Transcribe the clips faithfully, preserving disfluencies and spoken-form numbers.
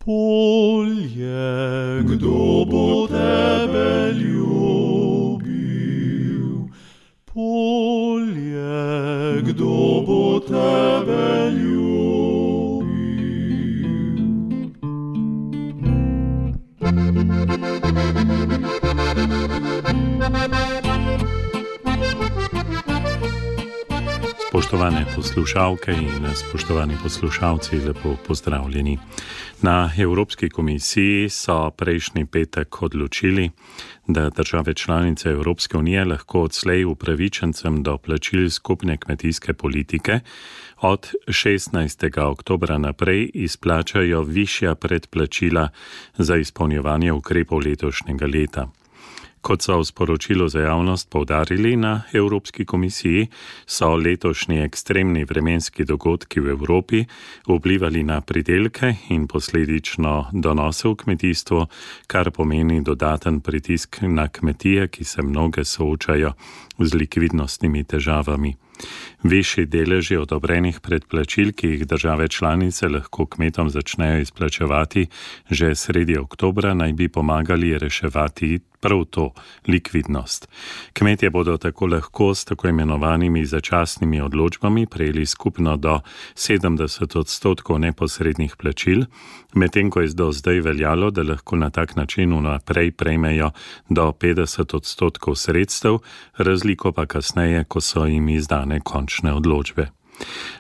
Polje, kdo bo tebe ljubil? Polje, kdo bo tebe ljubil? Spoštovane poslušalke in spoštovani poslušalci, lepo pozdravljeni. Na Evropski komisiji so prejšnji petek odločili, da države članice Evropske unije lahko odslej upravičencem do plačil skupne kmetijske politike od šestnajstega oktobra naprej izplačajo višja predplačila za izpolnjevanje ukrepov letošnjega leta. Kot so v sporočilu za javnost poudarili na Evropski komisiji, so letošnji ekstremni vremenski dogodki v Evropi vplivali na pridelke in posledično donose v kmetijstvu, kar pomeni dodaten pritisk na kmetije, ki se mnoge soočajo z likvidnostnimi težavami. Višji deleži odobrenih predplačil, ki jih države članice lahko kmetom začnejo izplačevati že sredi oktobra, naj bi pomagali reševati prav to likvidnost. Kmetje bodo tako lahko s tako imenovanimi začasnimi odločbami prejeli skupno do sedemdeset odstotkov neposrednih plačil, medtem ko je do zdaj veljalo, da lahko na tak način vnaprej prejmejo do petdeset odstotkov sredstev, razliko pa kasneje, ko so jim izdane končne odločbe.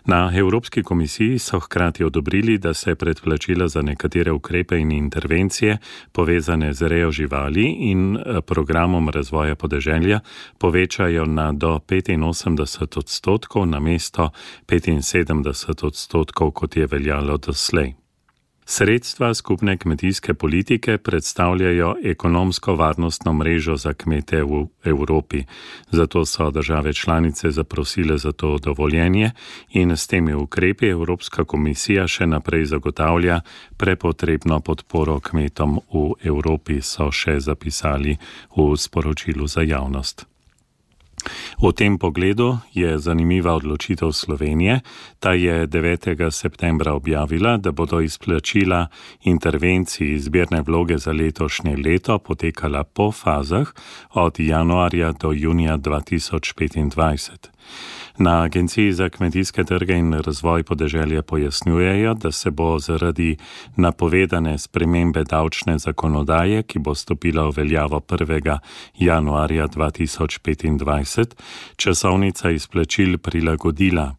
Na Evropski komisiji so hkrati odobrili, da se predplačila za nekatere ukrepe in intervencije povezane z rejo živali in programom razvoja podeželja povečajo na do petinosemdeset odstotkov namesto petinsedemdeset odstotkov, kot je veljalo doslej. Sredstva skupne kmetijske politike predstavljajo ekonomsko varnostno mrežo za kmete v Evropi. Zato so države članice zaprosile za to dovoljenje in s temi ukrepi Evropska komisija še naprej zagotavlja prepotrebno podporo kmetom v Evropi, so še zapisali v sporočilu za javnost. V tem pogledu je zanimiva odločitev Slovenije. Ta je devetega septembra objavila, da bodo izplačila intervencij zbirne vloge za letošnje leto potekala po fazah od januarja do junija dva tisoč petindvajset. Na Agenciji za kmetijske trge in razvoj podeželja pojasnjujejo, da se bo zaradi napovedane spremembe davčne zakonodaje, ki bo stopila v veljavo prvega januarja dva tisoč petindvajset, časovnica izplačil prilagodila.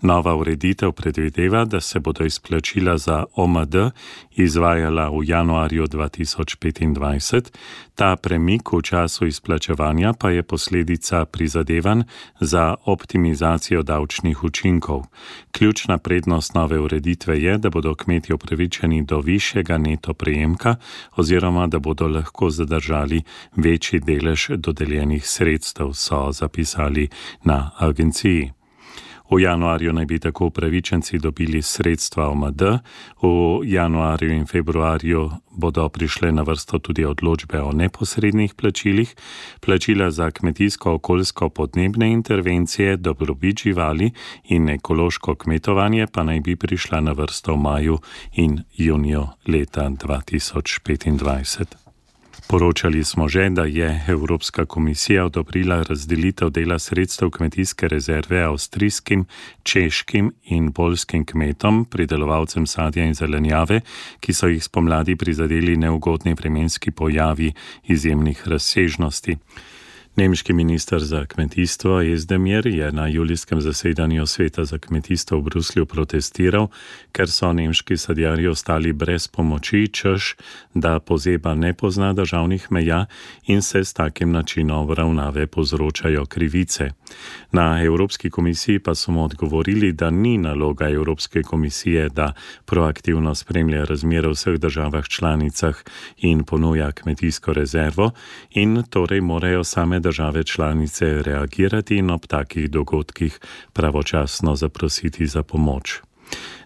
Nova ureditev predvideva, da se bodo izplačila za O M D izvajala v januarju dva tisoč petindvajset, ta premik v času izplačevanja pa je posledica prizadevanj za optimizacijo davčnih učinkov. Ključna prednost nove ureditve je, da bodo kmetje upravičeni do višjega neto prejemka oziroma da bodo lahko zadržali večji delež dodeljenih sredstev, so zapisali na agenciji. V januarju naj bi tako upravičenci dobili sredstva O M D, v januarju in februarju bodo prišle na vrsto tudi odločbe o neposrednih plačilih, plačila za kmetijsko-okoljsko podnebne intervencije, dobrobit živali in ekološko kmetovanje pa naj bi prišla na vrsto v maju in juniju leta dva tisoč petindvajset. Poročali smo že, da je Evropska komisija odobrila razdelitev dela sredstev kmetijske rezerve avstrijskim, češkim in poljskim kmetom, pridelovalcem sadja in zelenjave, ki so jih spomladi prizadeli neugodni vremenski pojavi izjemnih razsežnosti. Nemški minister za kmetijstvo Özdemir je na julijskem zasedanju Sveta za kmetijstvo v Bruslju protestiral, ker so nemški sadjarji ostali brez pomoči, češ, da pozeba ne pozna državnih meja in se s takim načinom ravnave povzročajo krivice. Na Evropski komisiji pa so mu odgovorili, da ni naloga Evropske komisije, da proaktivno spremlja razmere v vseh državah članicah in ponuja kmetijsko rezervo in torej morajo same države članice reagirati in ob takih dogodkih pravočasno zaprositi za pomoč.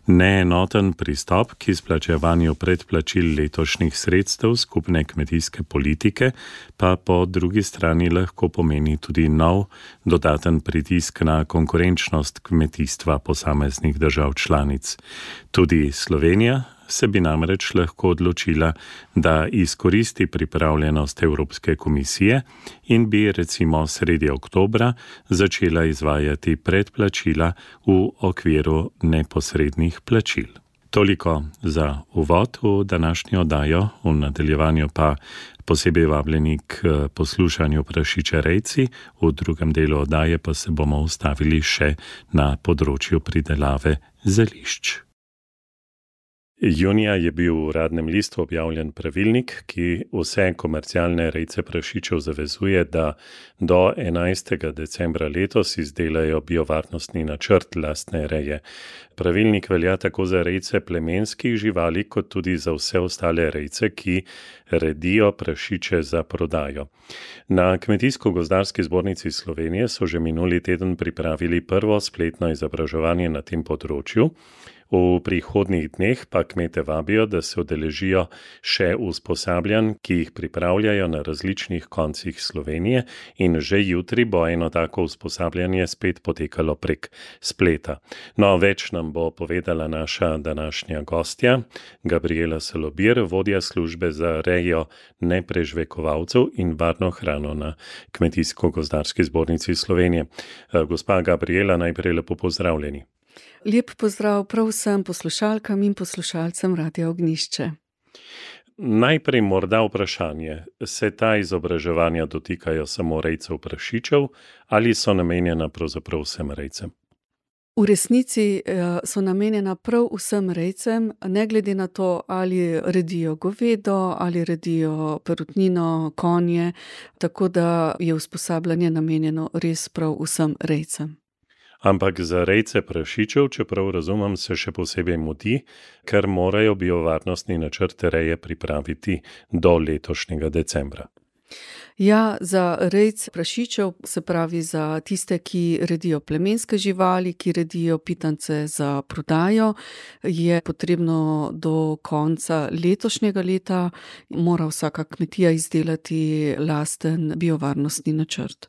Neenoten pristop k izplačevanju predplačil letošnjih sredstev skupne kmetijske politike pa po drugi strani lahko pomeni tudi nov dodaten pritisk na konkurenčnost kmetijstva posameznih držav članic. Tudi Slovenija se bi namreč lahko odločila, da izkoristi pripravljenost Evropske komisije in bi recimo sredi oktobra začela izvajati predplačila v okviru neposrednih plačil. Toliko za uvod v današnjo oddajo, v nadaljevanju pa posebej vabljeni k poslušanju Prašiče rejci, v drugem delu oddaje pa se bomo ustavili še na področju pridelave zelišč. Junija je bil v Uradnem listu objavljen pravilnik, ki vse komercialne rejce prašičev zavezuje, da do enajstega decembra letos izdelajo biovarnostni načrt lastne reje. Pravilnik velja tako za rejce plemenskih živali, kot tudi za vse ostale rejce, ki redijo prašiče za prodajo. Na Kmetijsko-gozdarski zbornici Slovenije so že minuli teden pripravili prvo spletno izobraževanje na tem področju. V prihodnjih dneh pa kmete vabijo, da se udeležijo še usposabljanj, ki jih pripravljajo na različnih koncih Slovenije, in že jutri bo eno tako usposabljanje spet potekalo prek spleta. No, več nam bo povedala naša današnja gostja, Gabriela Salobir, vodja službe za rejo neprežvekovalcev in varno hrano na Kmetijsko-gozdarski zbornici Slovenije. Gospa Gabriela, najprej lepo pozdravljeni. Lep pozdrav prav vsem poslušalkam in poslušalcem Radia Ognjišče. Najprej morda vprašanje, se ta izobraževanja dotikajo samo rejcev prašičev ali so namenjena pravzaprav vsem rejcem? V resnici so namenjena prav vsem rejcem, ne glede na to, ali redijo govedo, ali redijo perutnino, konje, tako da je usposabljanje namenjeno res prav vsem rejcem. Ampak za rejce prašičev, čeprav razumem, se še posebej mudi, ker morajo biovarnostni načrt reje pripraviti do letošnjega decembra. Ja, za rejce prašičev, se pravi za tiste, ki redijo plemenske živali, ki redijo pitance za prodajo, je potrebno do konca letošnjega leta, mora vsaka kmetija izdelati lasten biovarnostni načrt.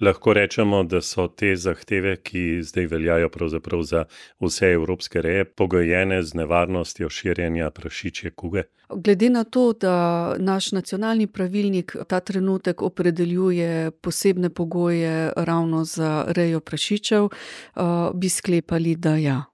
Lahko rečemo, da so te zahteve, ki zdaj veljajo pravzaprav za vse evropske reje, pogojene z nevarnostjo širjenja prašičje kuge? Glede na to, da naš nacionalni pravilnik ta trenutek opredeljuje posebne pogoje ravno za rejo prašičev, bi sklepali, da ja.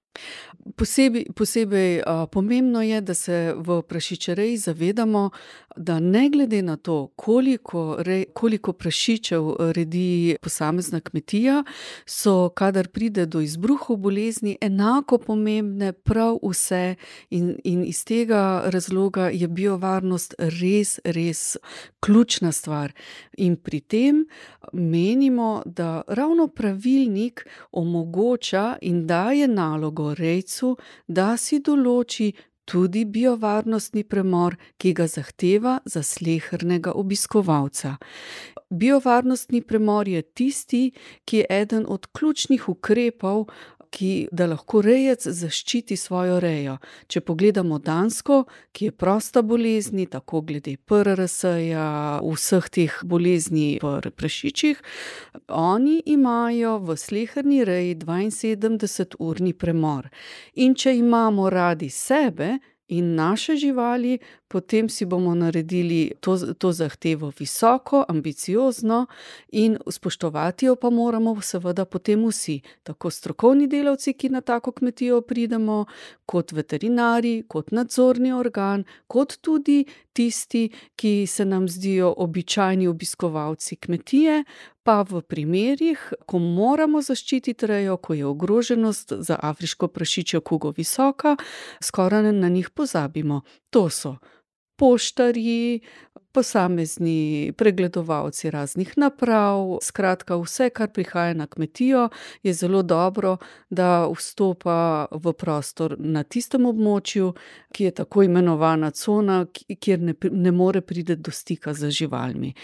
Posebej, posebej a, pomembno je, da se v prašičereji zavedamo, da ne glede na to, koliko, rej, koliko prašičev redi posamezna kmetija, so, kadar pride do izbruhov bolezni, enako pomembne prav vse in, in iz tega razloga je biovarnost res, res ključna stvar. In pri tem menimo, da ravno pravilnik omogoča in daje nalogo rejcu, da si določi tudi biovarnostni premor, ki ga zahteva za slehernega obiskovalca. Biovarnostni premor je tisti, ki je eden od ključnih ukrepov, ki, da lahko rejec zaščiti svojo rejo. Če pogledamo Dansko, ki je prosta bolezni, tako glede P R R S-ja, vseh teh bolezni pri prašičih, oni imajo v sleherni reji dvainsedemdeseturni premor. In če imamo radi sebe in naše živali, potem si bomo naredili to, to zahtevo visoko, ambiciozno in spoštovati jo pa moramo seveda potem vsi, tako strokovni delavci, ki na tako kmetijo pridemo, kot veterinari, kot nadzorni organ, kot tudi tisti, ki se nam zdijo običajni obiskovalci kmetije, pa v primerih, ko moramo zaščititi rejo, ko je ogroženost za afriško prašičjo kugo visoka, skoraj na njih pozabimo. To so poštarji, posamezni pregledovalci raznih naprav, skratka vse, kar prihaja na kmetijo, je zelo dobro, da vstopa v prostor na tistem območju, ki je tako imenovana cona, kjer ne, ne more priti do stika z živalmi.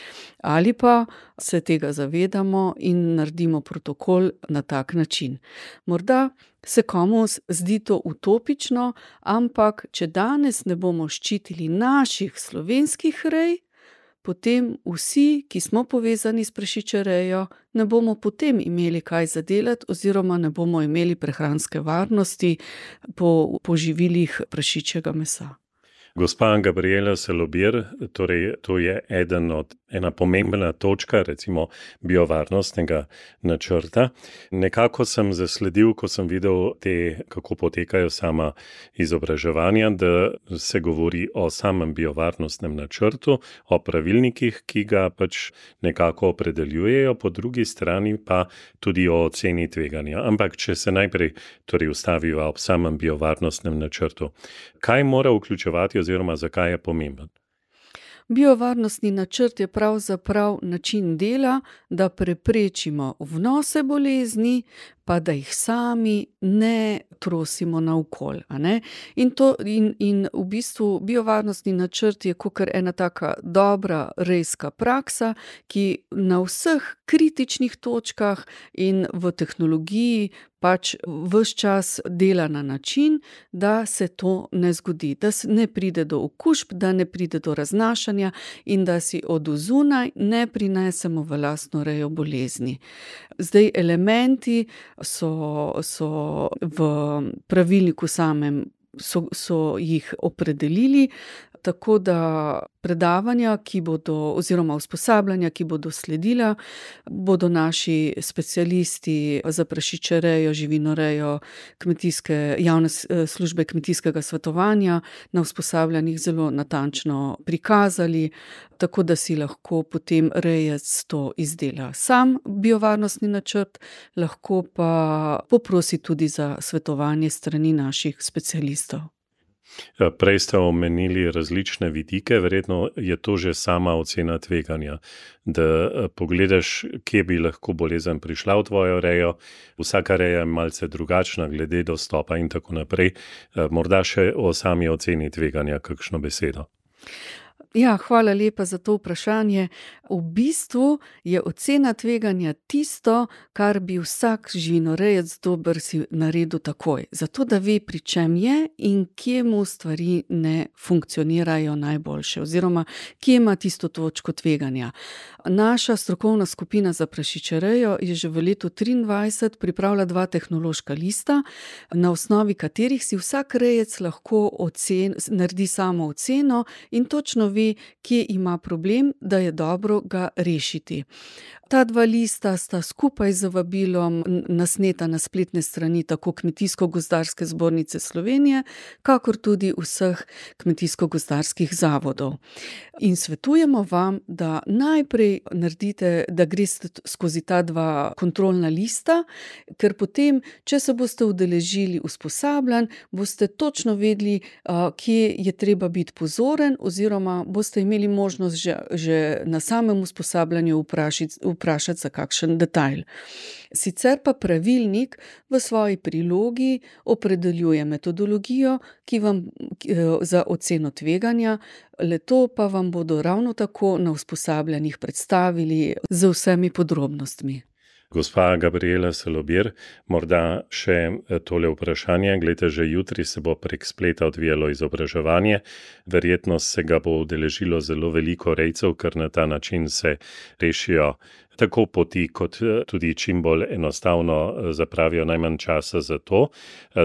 Ali pa se tega zavedamo in naredimo protokol na tak način. Morda se komu zdi to utopično, ampak če danes ne bomo ščitili naših slovenskih rej, potem vsi, ki smo povezani s prašičerejo, ne bomo potem imeli kaj zadelati oziroma ne bomo imeli prehranske varnosti po, po živilih prašičjega mesa. Gospa Gabriela Salobir, torej to je eden od, ena pomembna točka, recimo biovarnostnega načrta. Nekako sem zasledil, ko sem videl te, kako potekajo sama izobraževanja, da se govori o samem biovarnostnem načrtu, o pravilnikih, ki ga pač nekako opredeljujejo, po drugi strani pa tudi o oceni tveganja. Ampak če se najprej torej ustaviva ob samem biovarnostnem načrtu, kaj mora vključevati oziroma zakaj je pomemben? Biovarnostni načrt je pravzaprav način dela, da preprečimo vnose bolezni, pa da jih sami ne trosimo naokoli, a ne. In to, in, in v bistvu biovarnostni načrt je kakor ena taka dobra rejska praksa, ki na vseh kritičnih točkah in v tehnologiji pač ves čas dela na način, da se to ne zgodi, da ne pride do okužb, da ne pride do raznašanja in da si od zunaj ne prinesemo v lastno rejo bolezni. Zdaj elementi so, so v pravilniku samem, so, so jih opredelili, tako da predavanja, ki bodo, oziroma usposabljanja, ki bodo sledila, bodo naši specialisti za prašičerejo, živinorejo, kmetijske, javne službe kmetijskega svetovanja na usposabljanjih zelo natančno prikazali, tako da si lahko potem rejec to izdela sam biovarnostni načrt, lahko pa poprosi tudi za svetovanje strani naših specialistov. Prej ste omenili različne vidike, verjetno je to že sama ocena tveganja, da pogledaš, kje bi lahko bolezen prišla v tvojo rejo, vsaka reja je malce drugačna glede dostopa in tako naprej. Morda še o sami oceni tveganja kakšno besedo. Ja, hvala lepa za to vprašanje. V bistvu je ocena tveganja tisto, kar bi vsak živinorejec dober si naredil takoj, zato da ve, pri čem je in kje mu stvari ne funkcionirajo najboljše, oziroma kje ima tisto točko tveganja. Naša strokovna skupina za prašičerejo je že v letu triindvajset pripravila dva tehnološka lista, na osnovi katerih si vsak rejec lahko ocen, naredi samo oceno in točno ve, kje ima problem, da je dobro ga rešiti. Ta dva lista sta skupaj z vabilom nasneta na spletne strani tako Kmetijsko-gozdarske zbornice Slovenije, kakor tudi vseh kmetijsko-gozdarskih zavodov. In svetujemo vam, da najprej naredite, da greste skozi ta dva kontrolna lista, ker potem, če se boste udeležili usposabljanj, boste točno vedeli, kje je treba biti pozoren, oziroma boste imeli možnost že, že na samem usposabljanju vprašati, vprašati za kakšen detajl. Sicer pa pravilnik v svoji prilogi opredeljuje metodologijo, ki vam za oceno tveganja, le-to pa vam bodo ravno tako na usposabljanjih predstavili z vsemi podrobnostmi. Gospa Gabriela Salobir, morda še tole vprašanje. Glejte, že jutri se bo prek spleta odvijalo izobraževanje. Verjetno se ga bo udeležilo zelo veliko rejcev, ker na ta način se rešijo tako poti, kot tudi čim bolj enostavno zapravijo najmanj časa za to.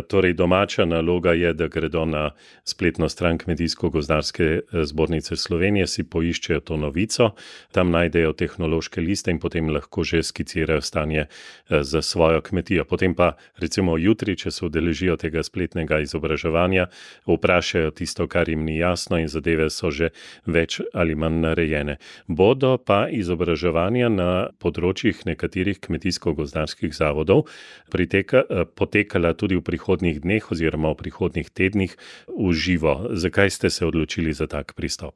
Torej, domača naloga je, da gredo na spletno stran Kmetijsko-gozdarske zbornice Slovenije, si poiščejo to novico, tam najdejo tehnološke liste in potem lahko že skicirajo stanje za svojo kmetijo. Potem pa recimo jutri, če se udeležijo tega spletnega izobraževanja, vprašajo tisto, kar jim ni jasno in zadeve so že več ali manj narejene. Bodo pa izobraževanja na področjih nekaterih kmetijsko-gozdarskih zavodov priteka, potekala tudi v prihodnjih dneh oziroma v prihodnjih tednih v živo. Zakaj ste se odločili za tak pristop?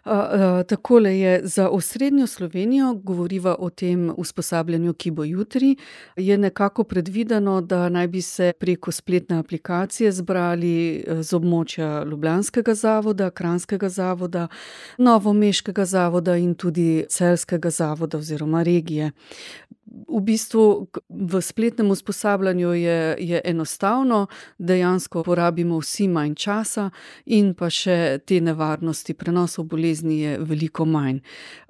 Uh, uh, takole je, za osrednjo Slovenijo, govoriva o tem usposabljanju, ki bo jutri, je nekako predvideno, da naj bi se preko spletne aplikacije zbrali z območja Ljubljanskega zavoda, Kranjskega zavoda, Novomeškega zavoda in tudi Celjskega zavoda oziroma regije. V bistvu v spletnem usposabljanju je, je enostavno, dejansko porabimo vsi manj časa in pa še te nevarnosti prenosov bolezni je veliko manj.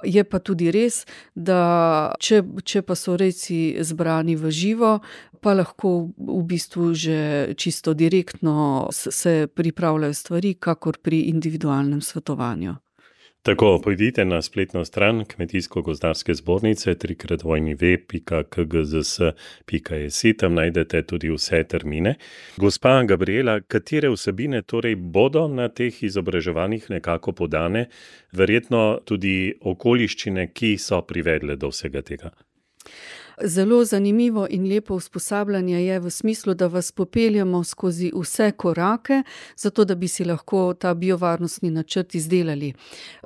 Je pa tudi res, da če, če pa so rejci zbrani v živo, pa lahko v bistvu že čisto direktno se pripravljajo stvari, kakor pri individualnem svetovanju. Tako, pojdite na spletno stran Kmetijsko-gozdarske zbornice w w w pika k g z s pika s, tam najdete tudi vse termine. Gospa Gabriela, katere vsebine torej bodo na teh izobraževanjih nekako podane, verjetno tudi okoliščine, ki so privedle do vsega tega? Zelo zanimivo in lepo usposabljanje je v smislu, da vas popeljemo skozi vse korake, zato da bi si lahko ta biovarnostni načrt izdelali.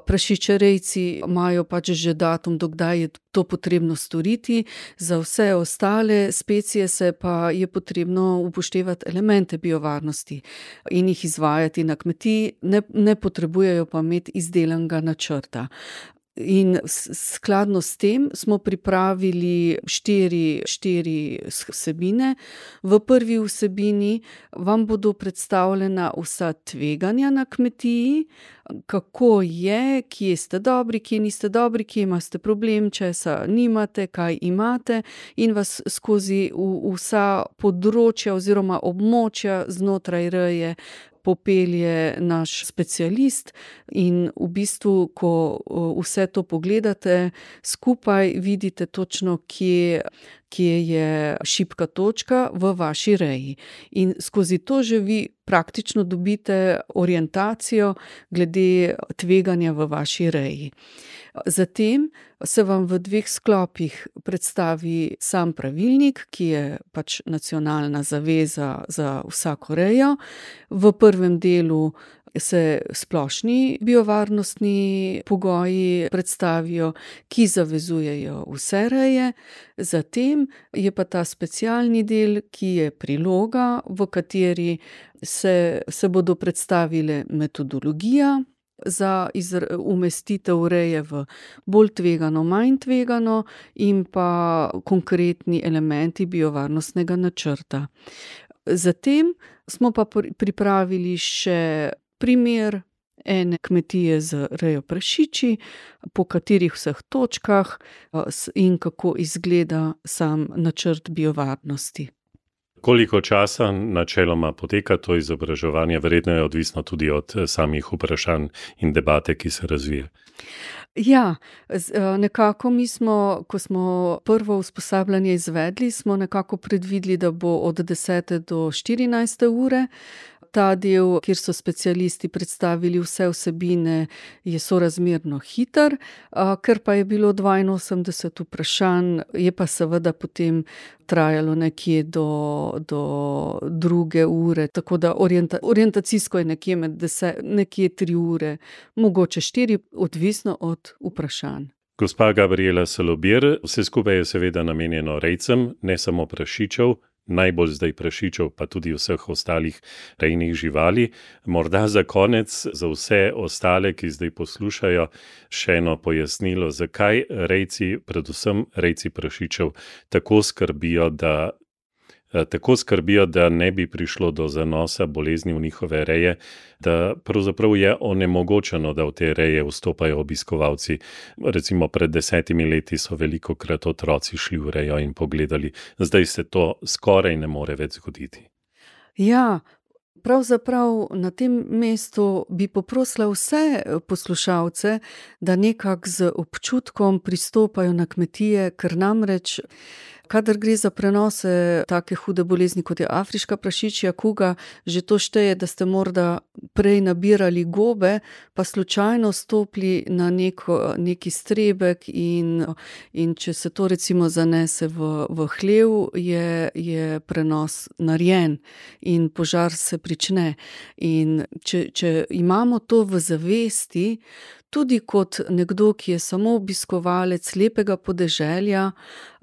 Prašičerejci imajo pač že datum, do kdaj je to potrebno storiti, za vse ostale specije se pa je potrebno upoštevati elemente biovarnosti in jih izvajati na kmetiji, ne, ne potrebujejo pa imeti izdelanega načrta. In skladno s tem smo pripravili štiri, štiri vsebine. V prvi vsebini vam bodo predstavljena vsa tveganja na kmetiji, kako je, kje ste dobri, kje niste dobri, kje imate problem, česa nimate, kaj imate, in vas skozi vsa področja oziroma območja znotraj reje popelje naš specialist in v bistvu, ko vse to pogledate, skupaj vidite točno, kje, kje je šibka točka v vaši reji. In skozi to že vi praktično dobite orientacijo glede tveganja v vaši reji. Zatem se vam v dveh sklopih predstavi sam pravilnik, ki je pač nacionalna zaveza za vsako rejo. V prvem delu se splošni biovarnostni pogoji predstavijo, ki zavezujejo vse reje. Zatem je pa ta specialni del, ki je priloga, v kateri se, se bodo predstavile metodologija za umestitev reje v bolj tvegano, manj tvegano in pa konkretni elementi biovarnostnega načrta. Zatem smo pa pripravili še primer ene kmetije z rejo prašiči, po katerih vseh točkah in kako izgleda sam načrt biovarnosti. Koliko časa načeloma poteka to izobraževanje? Verjetno je odvisno tudi od samih vprašanj in debate, ki se razvije. Ja, nekako mi smo, ko smo prvo usposabljanje izvedli, smo nekako predvideli, da bo od desete do štirinajste ure. Ta del, kjer so specialisti predstavili vse vsebine, je sorazmerno hiter, ker pa je bilo dvainosemdeset vprašanj, je pa seveda potem trajalo nekje do, do druge ure, tako da orienta, orientacijsko je nekje med deset, nekje tri ure, mogoče štiri, odvisno od vprašanj. Gospa Gabriela Salobir, vse skupaj je seveda namenjeno rejcem, ne samo prašičev, najbolj zdaj prašičev, pa tudi vseh ostalih rejnih živali. Morda za konec, za vse ostale, ki zdaj poslušajo, še eno pojasnilo, zakaj rejci, predvsem rejci prašičev, tako skrbijo, da tako skrbijo, da ne bi prišlo do zanosa bolezni v njihove reje, da pravzaprav je onemogočeno, da v te reje vstopajo obiskovalci. Recimo pred desetimi leti so velikokrat otroci šli v rejo in pogledali. Zdaj se to skoraj ne more več zgoditi. Ja, pravzaprav na tem mestu bi poprosila vse poslušalce, da nekako z občutkom pristopajo na kmetije, ker namreč kadar gre za prenose take hude bolezni, kot je afriška prašičja kuga, že to šteje, da ste morda prej nabirali gobe, pa slučajno stopili na neko, neki strebek in, in če se to recimo zanese v, v hlev, je, je prenos narejen in požar se prične. In če, če imamo to v zavesti, tudi kot nekdo, ki je samo obiskovalec lepega podeželja,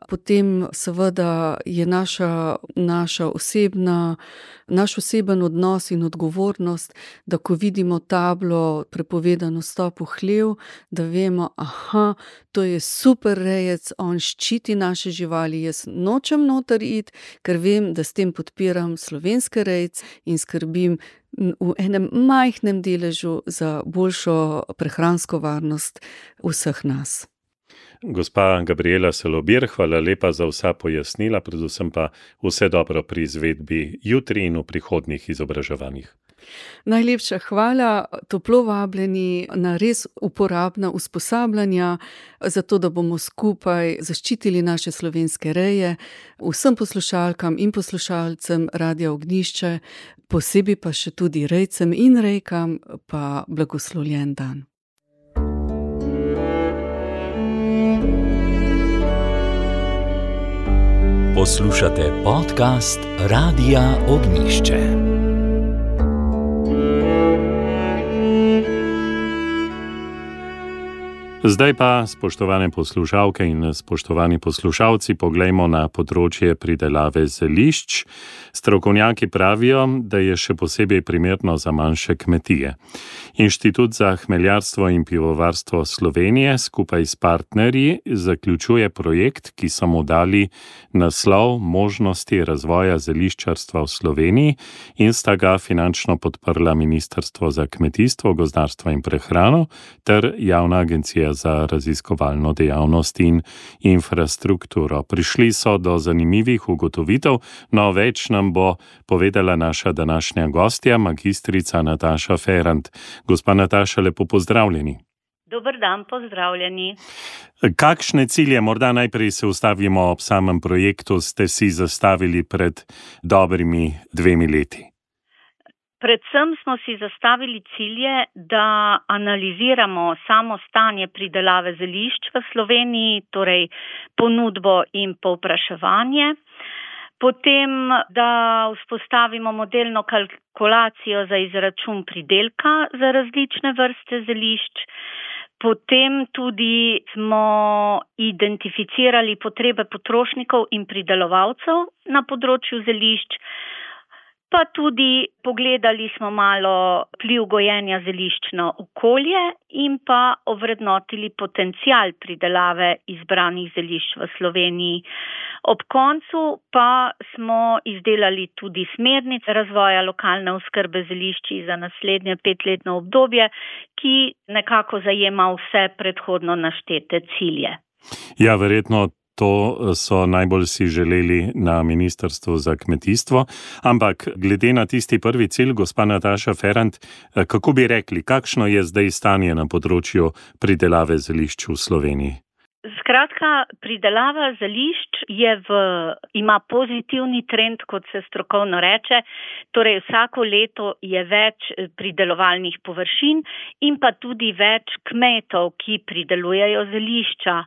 potem seveda je naša, naša osebna, naš oseben odnos in odgovornost, da ko vidimo tablo prepovedano vstop v hlev, da vemo, aha, to je super rejec, on ščiti naše živali, jaz nočem noter iti, ker vem, da s tem podpiram slovenske rejce in skrbim v enem majhnem deležu za boljšo prehransko varnost vseh nas. Gospa Gabriela Salobir, hvala lepa za vsa pojasnila, predvsem pa vse dobro pri izvedbi jutri in v prihodnjih izobraževanjih. Najlepša hvala, toplo vabljeni na res uporabna usposabljanja, zato da bomo skupaj zaščitili naše slovenske reje. Vsem poslušalkam in poslušalcem Radia Ognjišče, posebej pa še tudi rejcem in rejkam, pa blagoslovljen dan. Poslušate podcast Radia Ognjišče. Zdaj pa, spoštovane poslušalke in spoštovani poslušalci, poglejmo na področje pridelave zelišč. Strokovnjaki pravijo, da je še posebej primerno za manjše kmetije. Inštitut za hmeljarstvo in pivovarstvo Slovenije skupaj s partnerji zaključuje projekt, ki so mu dali naslov Možnosti razvoja zeliščarstva v Sloveniji in sta ga finančno podprla Ministrstvo za kmetijstvo, gozdarstvo in prehrano ter Javna agencija za raziskovalno dejavnost in infrastrukturo. Prišli so do zanimivih ugotovitev, no več nam bo povedala naša današnja gostja, magistrica Nataša Ferrant. Gospa Nataša, lepo pozdravljeni. Dober dan, pozdravljeni. Kakšne cilje, morda najprej se ustavimo ob samem projektu, ste si zastavili pred dobrimi dvemi leti? Predvsem smo si zastavili cilje, da analiziramo samo stanje pridelave zelišč v Sloveniji, torej ponudbo in povpraševanje. Potem, da vzpostavimo modelno kalkulacijo za izračun pridelka za različne vrste zelišč. Potem tudi smo identificirali potrebe potrošnikov in pridelovalcev na področju zelišč. Pa tudi pogledali smo malo vpliv gojenja zelišč na okolje in pa ovrednotili potencial pridelave izbranih zelišč v Sloveniji. Ob koncu pa smo izdelali tudi smernice razvoja lokalne oskrbe zelišči za naslednje petletno obdobje, ki nekako zajema vse predhodno naštete cilje. Ja, verjetno to so najbolj si želeli na Ministrstvu za kmetijstvo, ampak glede na tisti prvi cilj, gospa Nataša Ferrant, kako bi rekli, kakšno je zdaj stanje na področju pridelave zelišč v Sloveniji? Skratka, pridelava zelišč je v, ima pozitivni trend, kot se strokovno reče, torej vsako leto je več pridelovalnih površin in pa tudi več kmetov, ki pridelujejo zelišča.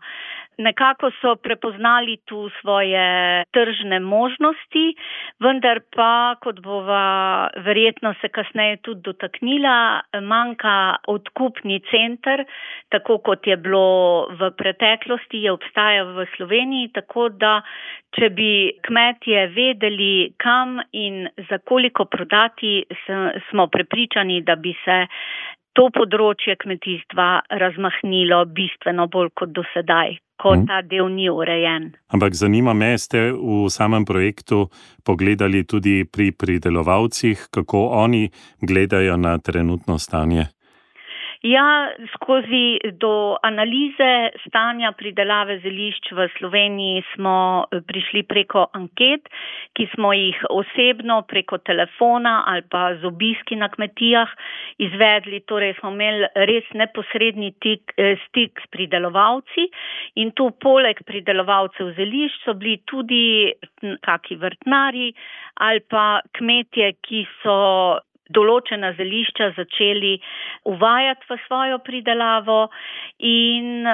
Nekako so prepoznali tu svoje tržne možnosti, vendar pa, kot bova verjetno se kasneje tudi dotaknila, manjka odkupni center, tako kot je bilo v preteklosti, je obstajal v Sloveniji, tako da če bi kmetje vedeli, kam in za koliko prodati, smo prepričani, da bi se to področje kmetijstva razmahnilo bistveno bolj kot do sedaj, ko ta del ni urejen. Ampak zanima me, ste v samem projektu pogledali tudi pri pridelovalcih, kako oni gledajo na trenutno stanje? Ja, skozi do analize stanja pridelave zelišč v Sloveniji smo prišli preko anket, ki smo jih osebno preko telefona ali pa z obiski na kmetijah izvedli, torej smo imeli res neposredni tik, stik s pridelovalci in tu poleg pridelovalcev zelišč so bili tudi kaki vrtnari ali pa kmetje, ki so določena zelišča začeli uvajati v svojo pridelavo in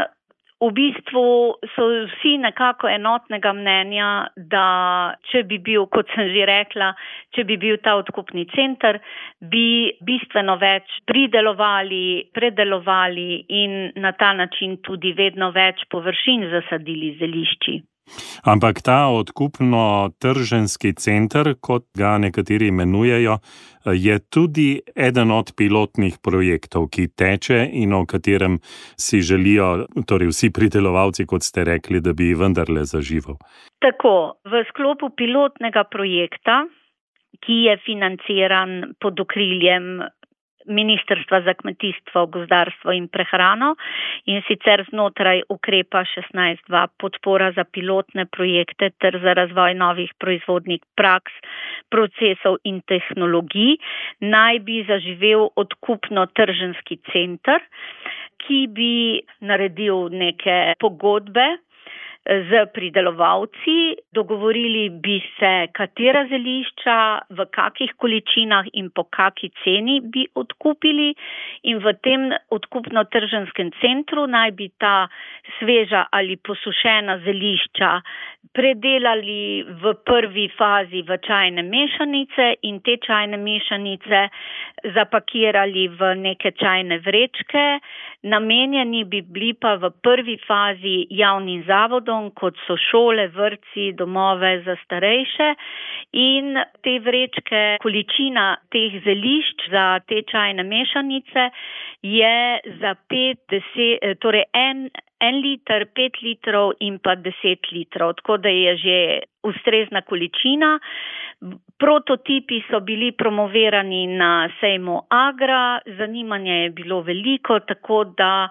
V bistvu so vsi nekako enotnega mnenja, da če bi bil, kot sem že rekla, če bi bil ta odkupni center, bi bistveno več pridelovali, predelovali in na ta način tudi vedno več površin zasadili zelišči. Ampak ta odkupno-trženjski center, kot ga nekateri imenujejo, je tudi eden od pilotnih projektov, ki teče in o katerem si želijo, torej vsi pridelovalci, kot ste rekli, da bi vendarle zaživel. Tako, v sklopu pilotnega projekta, ki je financiran pod okriljem Ministrstva za kmetijstvo, gozdarstvo in prehrano in sicer znotraj ukrepa šestnajst dva podpora za pilotne projekte ter za razvoj novih proizvodnih praks, procesov in tehnologij, naj bi zaživel odkupno-trženjski center, ki bi naredil neke pogodbe z pridelovalci, dogovorili bi se, katera zelišča, v kakih količinah in po kaki ceni bi odkupili in v tem odkupno-trženjskem centru naj bi ta sveža ali posušena zelišča predelali v prvi fazi v čajne mešanice in te čajne mešanice zapakirali v neke čajne vrečke. Namenjeni bi bili pa v prvi fazi javnim zavodom, kot so šole, vrtci, domove za starejše in te vrečke, količina teh zelišč za te čajne mešanice je za pet, deset, torej en, en liter, pet litrov in pa deset litrov, tako da je že ustrezna količina. Prototipi so bili promovirani na sejmu Agra, zanimanje je bilo veliko, tako da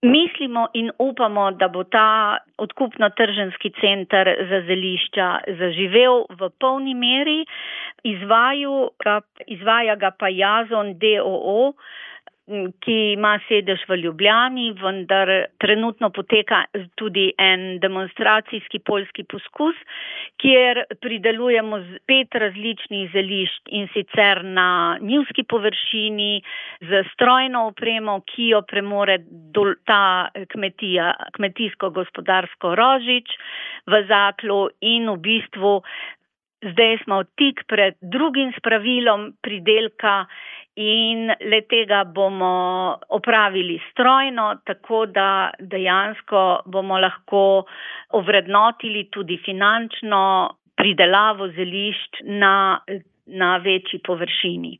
mislimo in upamo, da bo ta odkupno-trženjski center za zelišča zaživel v polni meri. Izvaju ga, izvaja ga pa Jazon d. o. o., ki ima sedež v Ljubljani, vendar trenutno poteka tudi en demonstracijski poljski poskus, kjer pridelujemo pet različnih zelišč in sicer na njivski površini z strojno opremo, ki jo premore ta kmetija, kmetijsko-gospodarsko Rožič v Zaklu in v bistvu zdaj smo tik pred drugim spravilom pridelka in le tega bomo opravili strojno, tako da dejansko bomo lahko ovrednotili tudi finančno pridelavo zelišč na, na večji površini.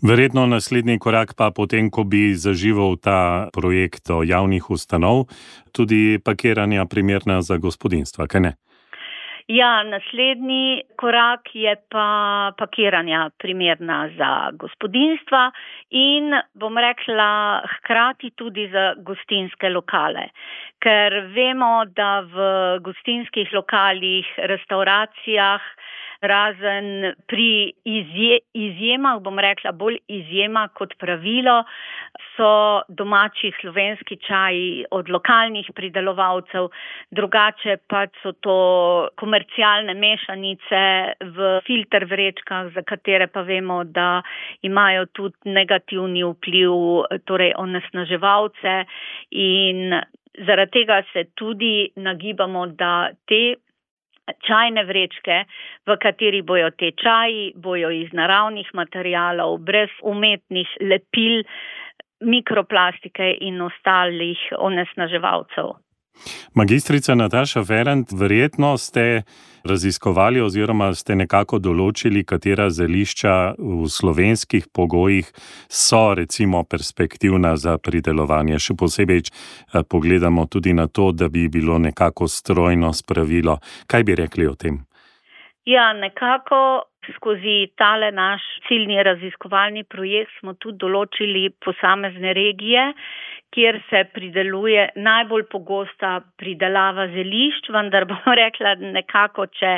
Verjetno naslednji korak pa potem, ko bi zaživel ta projekt javnih ustanov, tudi pakiranja primerna za gospodinjstva, kaj ne? Ja, naslednji korak je pa pakiranja primerna za gospodinjstva in bom rekla hkrati tudi za gostinske lokale. Ker vemo, da v gostinskih lokalih, restauracijah, razen pri izje, izjemah, bom rekla bolj izjema kot pravilo, so domači slovenski čaji od lokalnih pridelovalcev, drugače pa so to komercialne mešanice v filter vrečkah, za katere pa vemo, da imajo tudi negativni vpliv, torej onesnaževalce in zaradi tega se tudi nagibamo, da te čajne vrečke, v kateri bojo te čaji, bojo iz naravnih materialov, brez umetnih lepil, mikroplastike in ostalih onesnaževalcev. Magistrica Nataša Ferent, verjetno ste raziskovali oziroma ste nekako določili, katera zelišča v slovenskih pogojih so recimo perspektivna za pridelovanje. Še posebej pogledamo tudi na to, da bi bilo nekako strojno spravilo. Kaj bi rekli o tem? Ja, nekako skozi tale naš ciljni raziskovalni projekt smo tudi določili posamezne regije, kjer se prideluje najbolj pogosta pridelava zelišč, vendar bom rekla nekako, če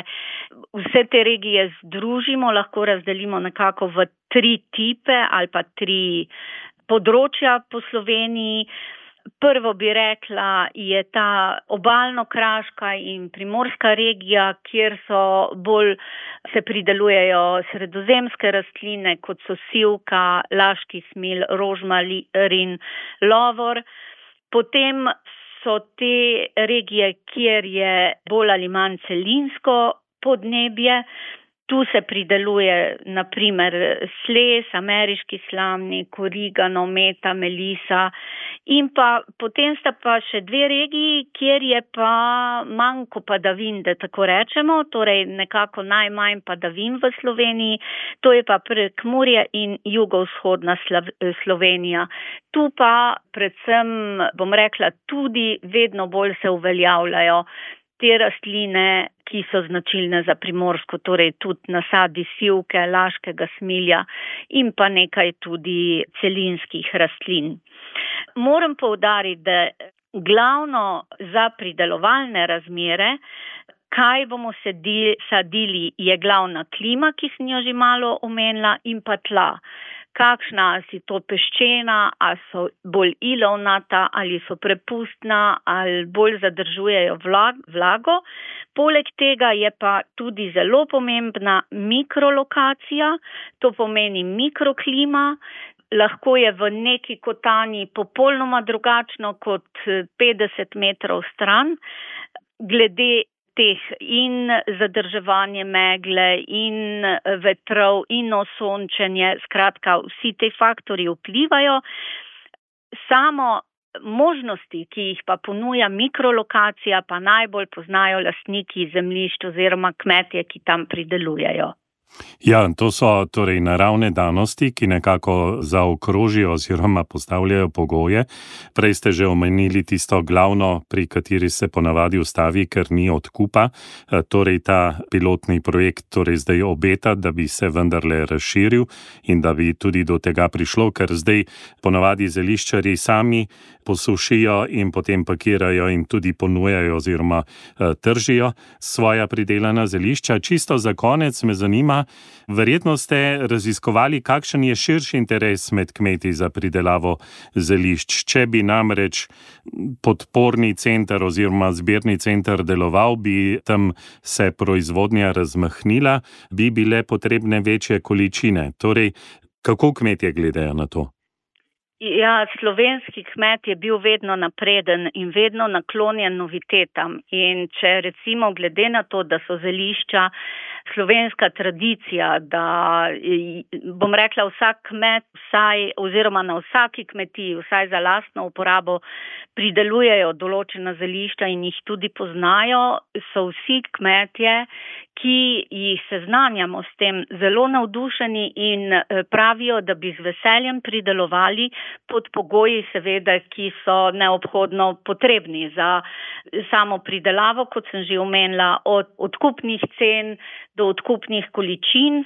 vse te regije združimo, lahko razdelimo nekako v tri tipe ali pa tri področja po Sloveniji. Prvo bi rekla, je ta obalno-kraška in primorska regija, kjer so bolj se pridelujejo sredozemske rastline, kot so sivka, laški smil, rožmarin, lovor. Potem so te regije, kjer je bolj ali manj celinsko podnebje. Tu se prideluje na primer sles, ameriški slamnik, origano, meta, melisa in pa potem sta pa še dve regiji, kjer je pa manjko padavin, da tako rečemo, torej nekako najmanj padavin v Sloveniji, to je pa Prekmurje in jugovzhodna Slovenija. Tu pa predvsem, bom rekla, tudi vedno bolj se uveljavljajo te rastline, ki so značilne za Primorsko, torej tudi nasadi sivke, laškega smilja in pa nekaj tudi celinskih rastlin. Moram poudariti, da glavno za pridelovalne razmere, kaj bomo sadili, je glavna klima, ki sem jo že malo omenila, in pa tla. Kakšna, ali si to peščena, ali so bolj ilovnata, ali so prepustna, ali bolj zadržujejo vlago. Poleg tega je pa tudi zelo pomembna mikrolokacija, to pomeni mikroklima. Lahko je v neki kotanji popolnoma drugačno kot petdeset metrov stran, glede teh in zadrževanje megle in vetrov in osončenje, skratka, vsi te faktorji vplivajo. Samo možnosti, ki jih pa ponuja mikrolokacija, pa najbolj poznajo lastniki zemljišč oziroma kmetje, ki tam pridelujejo. Ja, to so torej naravne danosti, ki nekako zaokrožijo oziroma postavljajo pogoje. Prej ste že omenili tisto glavno, pri kateri se ponavadi ustavi, ker ni odkupa. Torej ta pilotni projekt torej zdaj obeta, da bi se vendarle razširil in da bi tudi do tega prišlo, ker zdaj ponavadi zeliščarji sami posušijo in potem pakirajo in tudi ponujajo oziroma tržijo svoja pridelana zelišča. Čisto za konec me zanima, verjetno ste raziskovali, kakšen je širši interes med kmeti za pridelavo zelišč. Če bi namreč podporni center oziroma zbirni center deloval, bi tam se proizvodnja razmahnila, bi bile potrebne večje količine. Torej, kako kmetje gledajo na to? Ja, slovenski kmet je bil vedno napreden in vedno naklonjen novitetam. In če recimo glede na to, da so zelišča slovenska tradicija, da bom rekla vsak kmet vsaj oziroma na vsaki kmetiji vsaj za lastno uporabo pridelujejo določena zelišča in jih tudi poznajo, so vsi kmetje, ki jih seznanjamo s tem, zelo navdušeni in pravijo, da bi z veseljem pridelovali pod pogoji seveda, ki so neobhodno potrebni za samo pridelavo, kot sem že omenila, od odkupnih cen do odkupnih količin,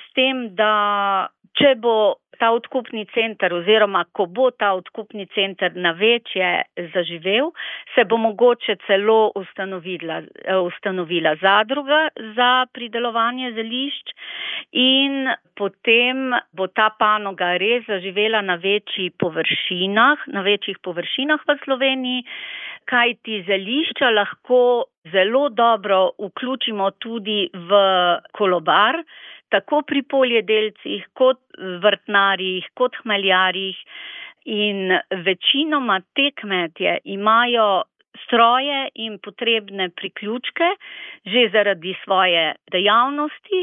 s tem, da če bo ta odkupni center oziroma ko bo ta odkupni center na večje zaživel, se bo mogoče celo ustanovila, ustanovila zadruga za pridelovanje zelišč in potem bo ta panoga res zaživela na večjih površinah, na večjih površinah v Sloveniji, kajti zelišča lahko zelo dobro vključimo tudi v kolobar, tako pri poljedelcih, kot vrtnarjih, kot hmeljarjih in večinoma te kmetje imajo stroje in potrebne priključke že zaradi svoje dejavnosti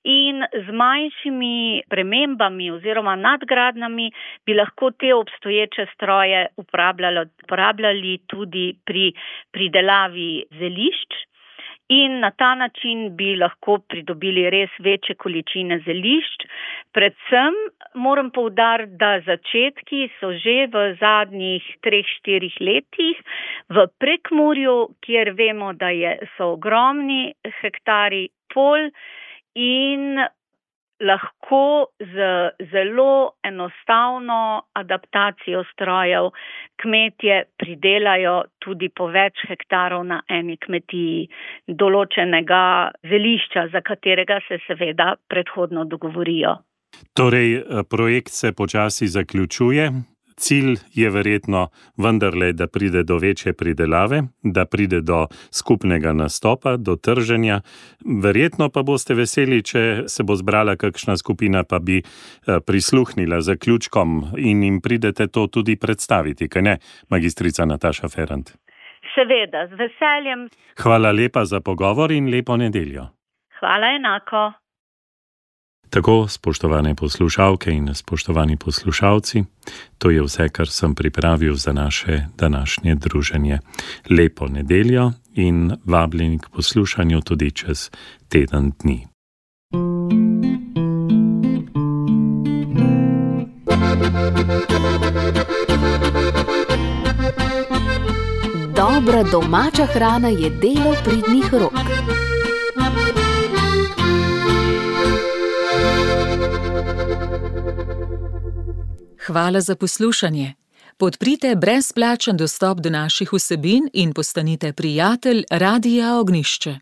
in z manjšimi premembami oziroma nadgradnjami bi lahko te obstoječe stroje uporabljali, uporabljali tudi pri pridelavi zelišč. In na ta način bi lahko pridobili res večje količine zelišč. Predvsem moram poudariti, da začetki so že v zadnjih treh, štirih letih v Prekmurju, kjer vemo, da je, so ogromni hektari polj in lahko z zelo enostavno adaptacijo strojev kmetje pridelajo tudi po več hektarov na eni kmetiji določenega zelišča, za katerega se seveda predhodno dogovorijo. Torej, projekt se počasi zaključuje. cilj je verjetno vendarle, da pride do večje pridelave, da pride do skupnega nastopa, do trženja. Verjetno pa boste veseli, če se bo zbrala kakšna skupina, pa bi prisluhnila zaključkom in jim pridete to tudi predstaviti, kaj ne, magistrica Nataša Ferrant? Seveda, z veseljem. Hvala lepa za pogovor in lepo nedeljo. Hvala enako. Tako, spoštovane poslušalke in spoštovani poslušalci, to je vse, kar sem pripravil za naše današnje druženje. Lepo nedeljo in vabljeni k poslušanju tudi čez teden dni. Dobra domača hrana je delo pridnih rok. Hvala za poslušanje. Podprite brezplačen dostop do naših vsebin in postanite prijatelj Radia Ognjišče.